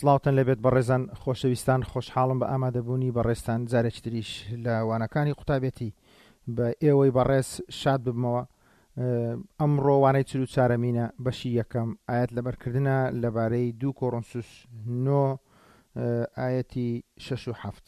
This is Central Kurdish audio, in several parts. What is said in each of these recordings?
سڵاوتان لێبێت بەڕێزان خۆشەویستان خۆشحاڵم بە ئامادەبوونی بەڕێزتان جارێکی تریش لە وانەکانی قوتابێتی بە ئێوەی بەڕێز شاد ببمەوە ئەمڕۆ وانەی چل و چارەمینە بەشی یەکەم ئایەت لەبەرکردنە لەبارەی دوو کۆڕنسوس نۆ ئایەتی شەش و حەفت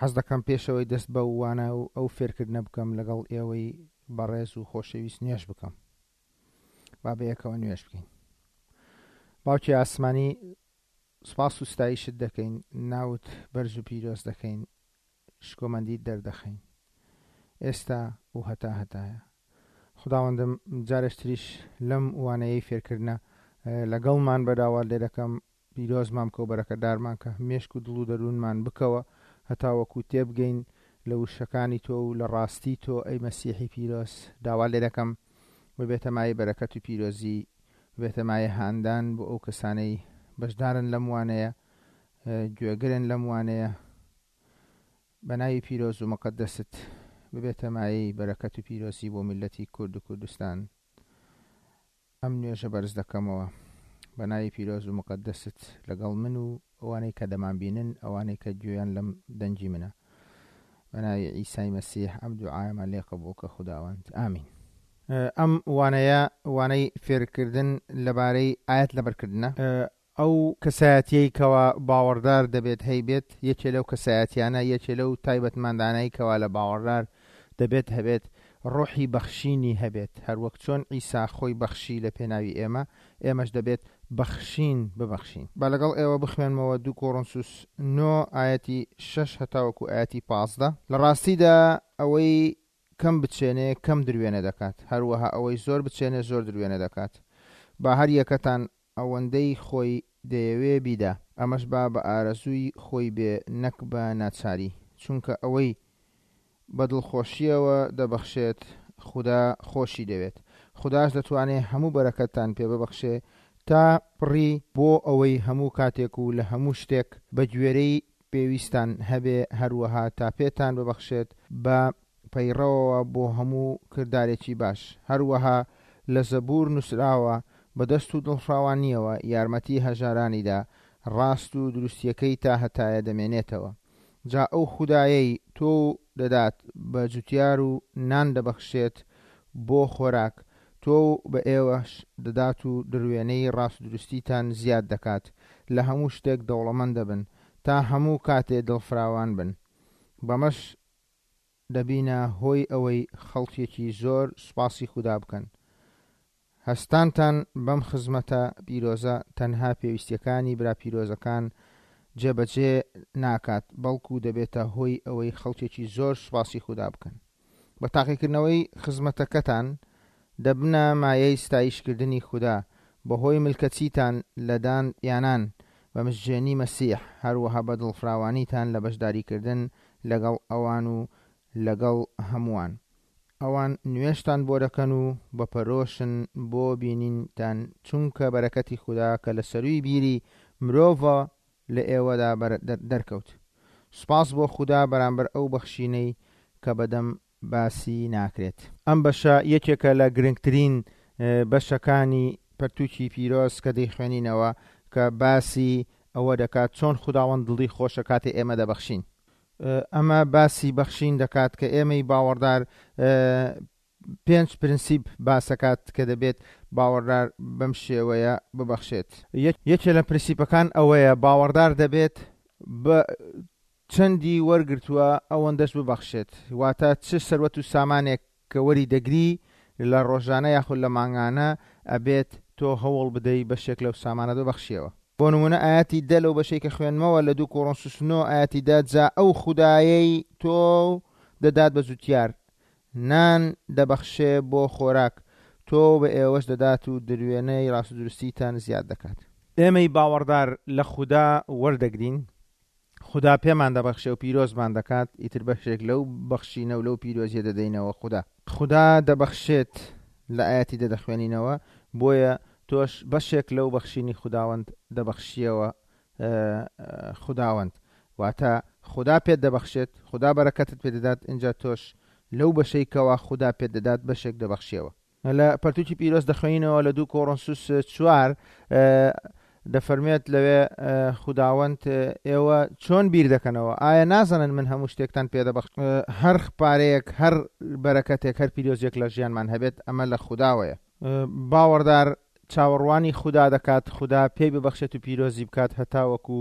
حەز دەکەم پێشەوەی دەست بە وانە و ئەو فێرکردنە بکەم لەگەڵ ئێوەی بەڕێز و خۆشەویست نوێژ بکەم با بەیەکەوە نوێژ بکەین. باوکی ئاسمانی سپاس و ستایشت دەکەین، ناوت بەرز و پیرۆز دەکەین، شکۆمەندیت دەردەخەین ئێستا و هەتا هەتایە. خوداوەندم جارێکتریش لەم وانەیەی فێرکردنە لەگەڵمان بە داوات لێ دەکەم پیرۆزمان بکە و بەرەکەتدارمان کە، مێشک و دڵ و دەروونمان بکەوە هەتاوەکو تێبگەین لە وشەکانی تۆ و لە ڕاستی تۆ ئەی مەسیحی پیرۆز، داوات لێ دەکەم ببێتە مایەی بەرەکەت و پیرۆزی، ببێتە مایەی هاندان بۆ ئەو کەسانەی بەشدارن لەم وانەیە، گوێگرن لەم وانەیە، بە ناوی پیرۆز و مقەدەست ببێتە مایەی بەرەکەت و پیرۆزی بۆ میللەتی کورد و کوردستان. ئەم نوێژە بەرز دەکەمەوە بە ناوی پیرۆز و موقەدەست لەگەڵ من و ئەوانەی کە دەمانبینن، ئەوانەی کە گوێیان لەم دەنگی منە. بە ناوی عیسای مەسیح ئەم دوعایەمان لێ قبوڵ کە خوداوەند. ئامین. ئەم وانەیە وانەی فێرکردن لەبارەی ئایەت لەبەرکردنە. ئەو کەسایەتیەی کەوا باوەڕدار دەبێت هەیبێت، یەکێ لەو کەسایەتیانە، یەکێ لەو تایبەتمەندانەی کەوا لە باوەڕدار دەبێت هەبێت، ڕۆحی بەخشینی هەبێت، هەروەک چۆن عیسا خۆی بەخشی لە پێناوی ئێمە، ئێمەش دەبێت بەخشین ببەخشین. با لەگەڵ ئێوە بخوێنمەوە دوو کۆرۆنسوس نۆ ئایەتی شەش هەتاوەکو ئایەتی 15. لە ڕاستیدا ئەوەی کەم بچێنێ کەم دروێنە دەکات، هەروەها ئەوەی زۆر بچێنێ زۆر دروێنە دەکات. با هەر یەکەتان ئەوەندەی خۆی دەیەوێ بیدا، ئەمەش با بە ئارەزووی خۆی بێ نەک بە ناچاری، چونکە ئەوەی بە دڵخۆشییەوە دەبەخشێت خودا خۆشی دەوێت، خوداش دەتوانێ هەموو بەرەکەتتان پێ ببەخشێ تا پڕی، بۆ ئەوەی هەموو کاتێک و لە هەموو شتێک بە گوێرەی پێویستتان هەبێ، هەروەها تا پێتان ببەخشێت بە پەیڕەوەوە بۆ هەموو کردارێکی باش. هەروەها لە زەبوور نووسراوە، بە دەست و دڵفراوانییەوە یارمەتی هەژارانی دا، ڕاست و دروستییەکەی تاهەتایە دەمێنێتەوە. جا ئەو خودایەی تۆو دەدات بە جوتیار و نان دەبەخشێت بۆ خۆراک، تۆو بە ئێوەش دەدات و دروێنەی ڕاستودروستیتان زیاد دەکات، لە هەموو شتێک دەوڵەمەند دەبن، تا هەموو کاتێ دڵفراوان بن. بەمەش دەبینە هۆی ئەوەی خەڵکێکی زۆر سوپاسی خودا بکەن. هەستانتان بەم خزمەتە پیرۆزە تەنها پێویستیەکانی برا پیرۆزەکان جێبەجێ ناکات، بەڵکو دەبێتە هۆی ئەوەی خەڵکێکی زۆر سوپاسی خودا بکەن. بە تاقیکردنەوەی خزمەتەکەتان دەبنە مایەی ستایشکردنی خودا، بەهۆی ملکەچیتان لە دان یانان بە مزگێنی مەسیح، هەروەها بە دڵفراوانیتان لە بەشداریکردن لەگەڵ ئەوان و لەگەڵ هەمووان. ئەوان نوێژتان بۆ دەکەن و بە پەرۆشن بۆ بینینتان، چونکە بەرەکەتی خودا کە لە سەرووی بیری مرۆڤە لە ئێوەدا دەرکەوت. سوپاس بۆ خودا بەرامبەر ئەو بەخشینەی کە بەدەم باسی ناکرێت. ئەم بەشە یەکێکە لە گرنگترین بەشەکانی پەرتووکی پیرۆز کە دەیخوێنینەوە کە باسی ئەوە دەکات چۆن خوداوەند دڵی خۆشە کاتێ ئێمە دەبەخشین. ئەمە باسی بەخشین دەکات کە ئێمەی باوەڕدار پێنج پرنسیپ باسەکات کە دەبێت باوەڕدار بەم شێوەیە ببەخشێت. یەکێ لە پرنسیپەکان ئەوەیە باوەڕدار دەبێت بە چەندی وەرگرتووە ئەوەندەش ببەخشێت، واتە چ سەروەت و سامانێک کە وەری دەگری لە ڕۆژانە یاخود لە مانگانە ئەبێت تۆ هەوڵ بدەی بەشێک لەو سامانەت ببەخشیەوە. بۆ نموونە ئایەتی دە لەو بەشەی کە خوێندمەوە لە دوو کۆرۆنسوس نۆ ئایەتی دە جا ئەو خودایەی تۆو دەدات بە جوتیار نان دەبەخشێ بۆ خۆراک تۆو بە ئێوەش دەدات و دروێنەی ڕاستودروستیتان زیاد دەکات. ئێمەی باوەڕدار لە خودا وەردەگرین خودا پێمان دەبەخشێ و پیرۆزمان دەکات، ئیتر بەشێک لەو بەخشینە و لەو پیرۆزیە دەدەینەوە خودا. خودا دەبەخشێت لە ئایەتی دە دەخوێنینەوە، بۆیە تۆش بەشێک لەو بەخشینی خوداوەند دەبەخشیەوە خوداوەند، واتە خودا پێت دەبەخشێت، خودا بەرەکەتت پێ دەدات، ئینجا تۆش لەو بەشەی کەوا خودا پێت دەدات بەشێک دەبەخشیەوە. لە پەرتوکی پیرۆز دەخوێنینەوە لە دوو کۆڕۆنسوس چوار دەفەرموێت لەوێ خوداوەند ئێوە چۆن بیر دەکەنەوە؟ ئایا نازانن من هەموو شتێکتان پێ دەبەخشم؟ هەر پارەیەک، هەر بەرەکەتێک، هەر پیرۆزیەک لە ژیانمان هەبێت ئەمە لە خوداوەیە. باوەڕدار چاوەڕوانی خودا دەکات خودا پێی ببەخشێت و پیرۆزی بکات هەتاوەکو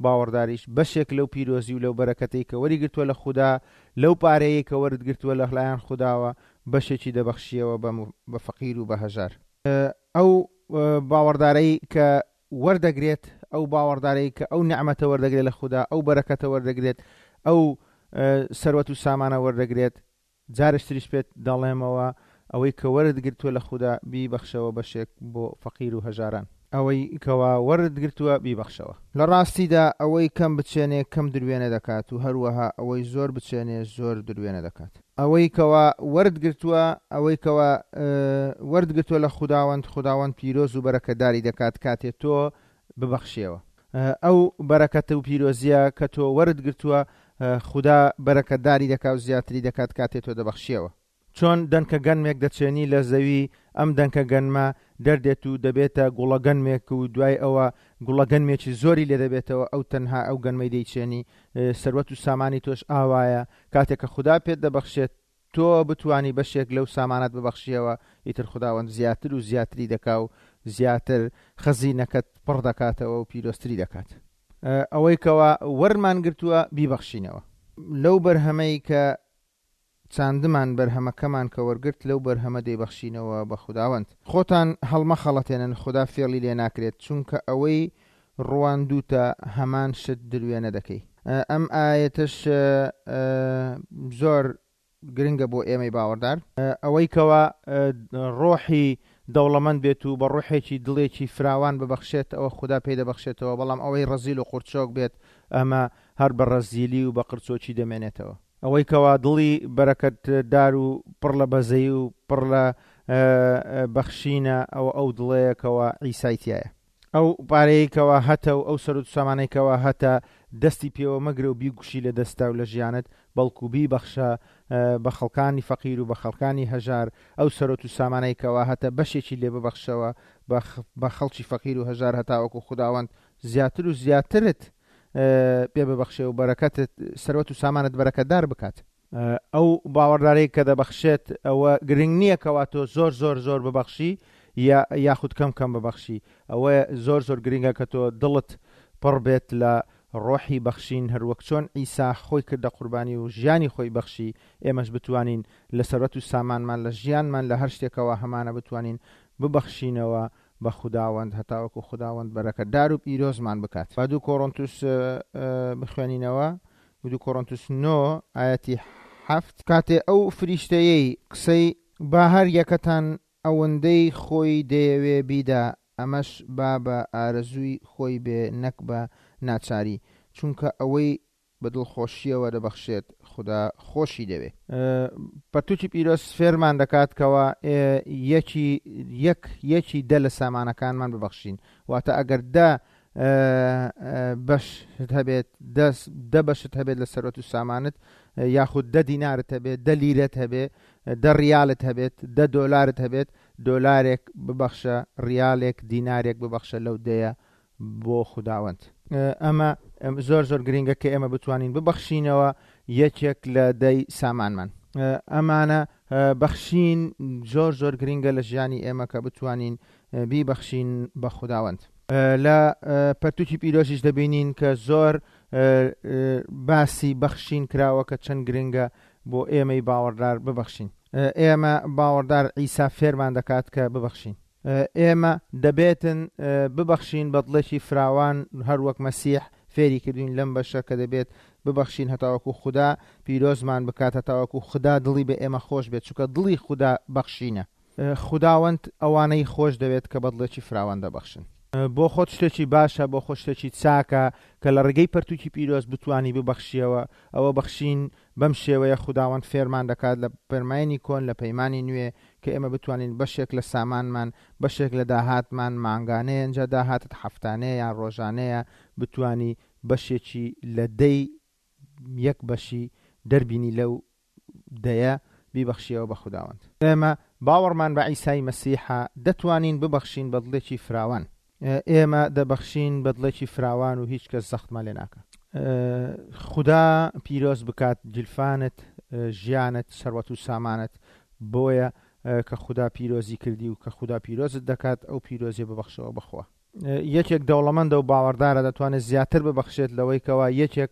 باوەڕداریش بەشێک لەو پیرۆزی و لەو بەرەکەتەی کە وەریگرتووە لە خودا لەو پارەیەی کە وەرت گرتووە لە لایەن خوداوە بەشێکی دەبەخشیەوە بە فەقیر و بە هەژار. ئەو باوەڕدارەی کە وەردەگرێت، ئەو باوەڕدارەی کە ئەو نیعمەتە وەردەگرێت لە خودا، ئەو بەرەکەتە وەردەگرێت، ئەو سەروەت و سامانە وەردەگرێت، جارێکی تریش پێت دەڵێمەوە ئەوەی کە وەرت گرتووە لە خودا بیبەخشەوە بەشێک بۆ فەقیر و هەژاران. ئەوەی کەوا وەرت گرتووە بیبەخشەوە. لە ڕاستیدا ئەوەی کەم بچێنێ کەم دروێنە دەکات و هەروەها ئەوەی زۆر بچێنێ زۆر دروێنە دەکات. ئەوەی کەوا وەرت گرتووە، ئەوەی کەوا وەرت گرتووە لە خوداوەند، خوداوەند پیرۆز و بەرەکەتداری دەکات کاتێ تۆ ببەخشیەوە. ئەو بەرەکەت و پیرۆزیە کە تۆ وەرت گرتووە، خودا بەرەکەتداری دەکا و زیاتری دەکات کاتێ تۆ دەبەخشیەوە. چۆن دەنکە گەنمێک دەچێنی لە زەوی، ئەم دەنکە گەنمە دەردێت و دەبێتە گوڵە گەنمێک و دوای ئەوە گوڵە گەنمێکی زۆری لێ دەبێتەوە، ئەو تەنها ئەو گەنمەی دەیچێنی، سەروەت و سامانی تۆش ئاوایە، کاتێک کە خودا پێت دەبەخشێت تۆ بتوانی بەشێک لەو سامانەت ببەخشیەوە، ئیتر خوداوەند زیاتر و زیاتری دەکا و زیاتر خەزینەکەت پڕ دەکاتەوە و پیرۆزتری دەکات. ئەوەی کەوا وەرمان گرتووە بیبەخشینەوە. لەو بەرهەمەی کە چاندمان بەرهەمەکەمان کە وەرگرت لەو بەرهەمە دەیبەخشینەوە بە خوداوەند. خۆتان هەڵمەخەڵەتێنن خودا فێڵی لێ ناکرێت چونکە ئەوەی ڕواندووتە هەمان شت دروێنە دەکەی. ئەم ئایەتەش زۆر گرنگە بۆ ئێمەی باوەڕدار. ئەوەی کەوا ڕۆحی دەوڵەمەند بێت و بە ڕۆحێکی دڵێکی فراوان ببەخشێت ئەوە خودا پێی دەبەخشێتەوە بەڵام ئەوەی ڕەزیل و قورچۆک بێت ئەمە هەر بە ڕەزیلی و بە قرچۆکی دەمێنێتەوە. ئەوەی کەوا دڵی بەرەکەتدار و پڕ لە بەزەیی و پڕ لە بەخشینە ئەوە ئەو دڵەیە کەوا عیسای تیایە. ئەو پارەیەی کەوا هەتە و ئەو سەروەت و سامانەی کەوا هەتە دەستی پێوە مەگرە و بیگوشی لە دەستا و لە ژیانت بەڵکو بیبەخشە بە خەڵکانی فەقیر و بە خەڵکانی هەژار ئەو سەروەت و سامانەی کەوا هەتە بەشێکی لێ ببەخشەوە بە خەڵکی فەقیر و هەژار هەتاوەکو خوداوەند زیاتر و زیاترت پێ ببەخشێ و بەرەکەتت سەروەت و سامانت بەرەکەتدار بکات. ئەو باوەڕدارەی کە دەبەخشێت ئەوە گرنگ نییە کەوا تۆ زۆر زۆر زۆر ببەخشی یا یاخود کەم کەم ببەخشی ئەوە زۆر زۆر گرنگە کە تۆ دڵت پڕ بێت لە ڕۆحی بەخشین هەروەک چۆن عیسا خۆی کردە قوربانی و ژیانی خۆی بەخشی ئێمەش بتوانین لە سەروەت و سامانمان لە ژیانمان لە هەر شتێکەوە هەمانە بتوانین ببەخشینەوە بە خوداوەند هەتاوەکو خوداوەند بەرەکەتدار و پیرۆزمان بکات. با دوو کۆرۆنتوس بخوێنینەوە، دوو کۆرۆنتوس نۆ ئایەتی حەفت. کاتێ ئەو فریشتەیەی قسەی. با هەر یەکەتان ئەوەندەی خۆی دەیەوێ بیدا، ئەمەش با بە ئارەزووی خۆی بێ نەک بە ناچاری، چونکە ئەوەی بە دڵخۆشییەوە دەبەخشێت، خودا خۆشی دەوێ. پەرتووکی پیرۆز فێرمان دەکات کەوا یەکی یەک یەکی دە لە سامانەکانمان ببەخشین. واتە ئەگەر دە بەشت هەبێت، دە بەشت هەبێت لە سەروەت و سامانت، یاخود دە دینارت هەبێت، دە لیرەت هەبێ، دە ڕیالت هەبێت، دە دۆلارت هەبێت، دۆلارێک ببەخشە، ڕیالێک، دینارێک ببەخشە لەو دەیە بۆ خوداوەند. ئەمە زۆر زۆر گرینگە کە ئێمە بتوانین ببەخشینەوە یەکێک لە دەی سامانمان. ئەمانە بەخشین زۆر زۆر گرینگە لە ژیانی ئێمە کە بتوانین بیبەخشین بە خوداوەند. لە پەرتوکی پیرۆزیش دەبینین کە زۆر باسی بەخشین کراوە کە چەند گرنگە بۆ ئێمەی باوەڕدار ببەخشین. ئێمە باوەڕدار عیسا فێرمان دەکات کە ببەخشین. ئێمە دەبێتن ببەخشین بە دڵێکی فراوان هەر وەک مەسیح فێری کردوین لەم بەشە کە دەبێت ببەخشین هەتاوەکو خودا پیرۆزمان بکات هەتاوەکو خودا دڵی بە ئێمە خۆش بێت چونکە دڵی خودا بەخشینە. خوداوەند ئەوانەی خۆش دەوێت کە بە دڵێکی فراوان دەبەخشن. بۆ خۆت شتێکی باشە، بۆ خۆت شتێکی چاکە کە لە ڕێگەی پەرتوکی پیرۆز بتوانی ببەخشیەوە، ئەوە بەخشین بەم شێوەیە خوداوەند فێرمان دەکات لە پەرمانی کۆن لە پەیمانی نوێ کە ئێمە بتوانین بەشێک لە سامانمان بەشێک لە داهاتمان مانگانەیە ئینجا داهاتت هەفتانەیە یان ڕۆژانەیە بتوانی بەشێکی لە دەی یەک بەشی دەربینی لەو دەیە بیبەخشیەوە بە خوداوەند. ئێمە باوەڕمان بە عیسای مەسیحە دەتوانین ببەخشین بە دڵێکی فراوان. ئێمە دەبەخشین بە دڵێکی فراوان و هیچ کەس زەختمان لێ ناکا. خودا پیرۆز بکات گیرفانت، ژیانت، سەروەت و سامانت، بۆیە کە خودا پیرۆزی کردی و کە خودا پیرۆزت دەکات ئەو پیرۆزیە ببەخشەوە بە خوا. یەکێک دەوڵەمەندە و باوەڕدارە دەتوانێت زیاتر ببەخشێت لەوەی کەوا یەکێک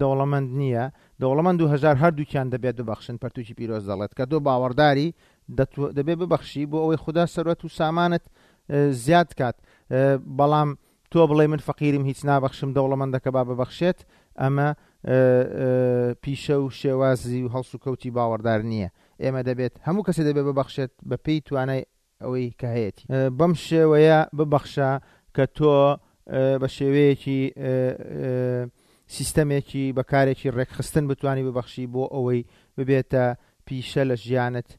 دەوڵەمەند نییە. دەوڵەمەند و هەژار هەردووکیان دەبێت ببەخشن، پەرتووکی پیرۆز دەڵێت کە تۆ باوەڕداری دەبێت ببەخشی بۆ ئەوەی خودا سەروەت و سامانت زیاد کات. بەڵام تۆ بڵێی من فەقیرم هیچ نابەخشم دەوڵەمەندەکە با ببەخشێت، ئەمە پیشە و شێوازی و هەڵسوکەوتی باوەڕدار نییە. ئێمە دەبێت هەموو کەسێ دەبێت ببەخشێت بە پێی توانای ئەوەی کە هەیەتی. بەم شێوەیە ببەخشە کە تۆ بە شێوەیەکی سیستەمێکی بە کارێکی ڕێکخستن بتوانی ببەخشی بۆ ئەوەی ببێتە پیشە لە ژیانت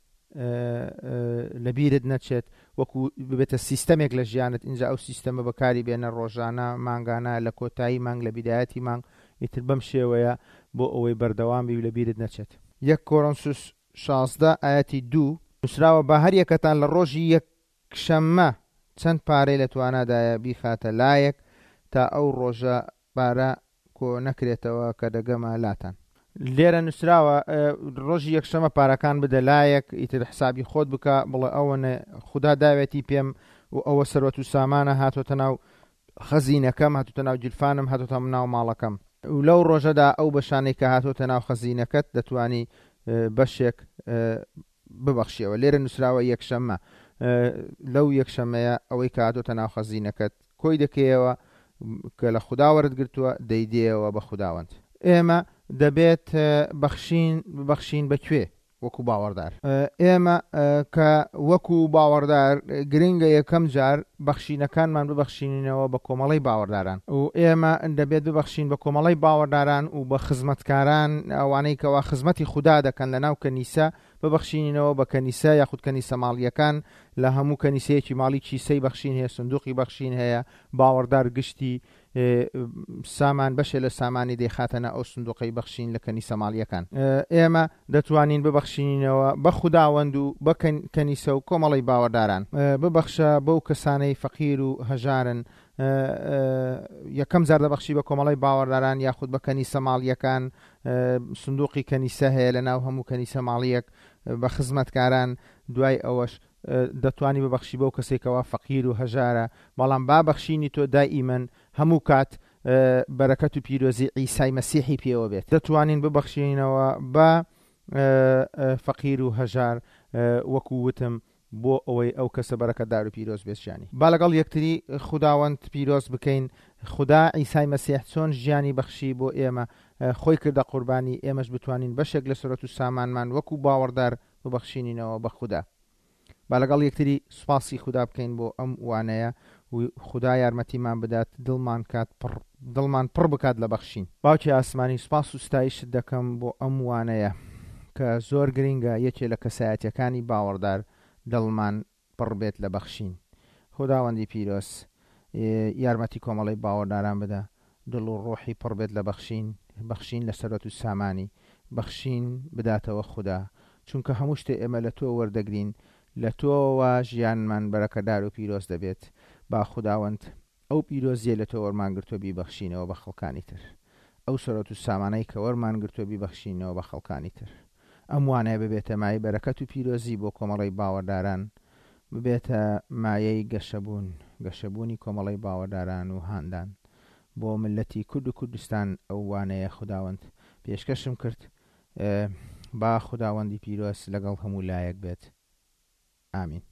لە بیرت نەچێت وەکو ببێتە سیستەمێک لە ژیانت ئینجا ئەو سیستەمە بەکاری بێنە ڕۆژانە مانگانە لە کۆتایی مانگ لە بیدایەتی مانگ ئیتر بەم شێوەیە بۆ ئەوەی بەردەوام بی و لە بیرت نەچێت. یەک کۆرۆنسوس 16 ئایەتی دوو، نووسراوە با هەر یەکەتان لە ڕۆژی یەکشەممە چەند پارەی لە توانادایە بیخاتە لایەک تا ئەو ڕۆژە پارە کۆ نەکرێتەوە کە دەگەمە لاتان. لێرە نووسراوە ڕۆژی یەکشەمە پارەکان بدە لایەک ئیتر حسابی خۆت بکە بڵێ ئەوەنە خودا داوێتی پێم و ئەوە سەروەت و سامانە هاتۆتە ناو خەزینەکەم هاتۆتە ناو گیرفانم هاتۆتە ناو ماڵەکەم و لەو ڕۆژەدا ئەو بەشانەی کە هاتۆتە ناو خەزینەکەت دەتوانی بەشێک ببەخشیەوە لێرە نووسراوە یەکشەممە لەو یەکشەمەیە ئەوەی کە هاتۆتە ناو خەزینەکەت کۆی دەکەیەوە کە لە خودا وەرت گرتووە دەیدەیەوە بە خوداوەند. ئێمە دەبێت بەخشین ببەخشین بە کوێ؟ وەکو باوەڕدار. ئێمە کە وەکو باوەڕدار گرنگە یەکەم جار بەخشینەکانمان ببەخشینینەوە بە کۆمەڵەی باوەڕداران و ئێمە دەبێت ببەخشین بە کۆمەڵەی باوەڕداران و بە خزمەتکاران ئەوانەی کەوا خزمەتی خودا دەکەن لە ناو کەنیسە ببەخشینینەوە بە کەنیسە یاخود کەنیسە ماڵییەکان لە هەموو کەنیسەیەکی ماڵی کیسەی بەخشین هەیە سندوقی بەخشین هەیە باوەڕدار گشتی سامان بەشێ لە سامانی دەیخاتە ناو ئەو سندوقەی بەخشین لە کەنیسە ماڵییەکان. ئێمە دەتوانین ببەخشینینەوە بە خوداوەند و بە کەنیسە و کۆمەڵەی باوەڕداران. ببەخشە بەو کەسانەی فەقیر و هەژارن. یەکەم جار دەبەخشی بە کۆمەڵەی باوەڕداران یاخود بە کەنیسە ماڵییەکان. سندوقی کەنیسە هەیە لە ناو هەموو کەنیسە ماڵییەک بە خزمەتکاران. دوای ئەوەش دەتوانی ببەخشی بەو کەسەی کەوا فەقیر و هەژارە، بەڵام با بەخشینی تۆ دائیمەن هەموو کات بەرەکەت و پیرۆزی عیسای مەسیحی پێوە بێت. دەتوانین ببەخشینەوە بە فەقیر و هەژار وەکو وتم بۆ ئەوەی ئەو کەسە بەرەکەتدار و پیرۆز بێت ژیانی. با لەگەڵ یەکتری خوداوەند پیرۆز بکەین، خودا عیسای مەسیح چۆن ژیانی بەخشی بۆ ئێمە، خۆی کردە قوربانی، ئێمەش بتوانین بەشێک لە سەروەت و سامانمان وەکو باوەڕدار ببەخشینینەوە بە خودا. با لەگەڵ یەکتری سوپاسی خودا بکەین بۆ ئەم وانەیە و خودا یارمەتیمان بدات دڵمان کات پڕ دڵمان پڕ بکات لە بەخشین. باوکی ئاسمانی سوپاس و ستایشت دەکەم بۆ ئەم وانەیە کە زۆر گرینگە یەکێ لە کەسایەتیەکانی باوەڕدار دڵمان پڕ بێت لە بەخشین. خوداوەندی پیرۆز یارمەتی کۆمەڵەی باوەڕداران بدە دڵ و ڕۆحی پڕ بێت لە بەخشین، بەخشین لە سەروەت و سامانی، بەخشین بداتەوە خودا، چونکە هەموو شتێ ئێمە لە تۆ وەردەگرین، لە تۆوە ژیانمان بەرەکەدار و پیرۆز دەبێت، با خوداوەند ئەو پیرۆزیەی لە تۆ وەرمان گرتووە بیبەخشینەوە بە خەڵکانی تر، ئەو سەروەت و سامانەی کە وەرمان گرتووە بیبەخشینەوە بە خەڵکانی تر. ئەم وانەیە ببێتە مایەی بەرەکەت و پیرۆزی بۆ کۆمەڵەی باوەڕداران، ببێتە مایەی گەشەبوون، گەشەبوونی کۆمەڵەی باوەڕداران و هاندان بۆ میللەتی کورد و کوردستان ئەو وانەیە خوداوەند پێشکەشم کرد با خوداوەندی پیرۆز لەگەڵ هەموو لایەک بێت. ئامین.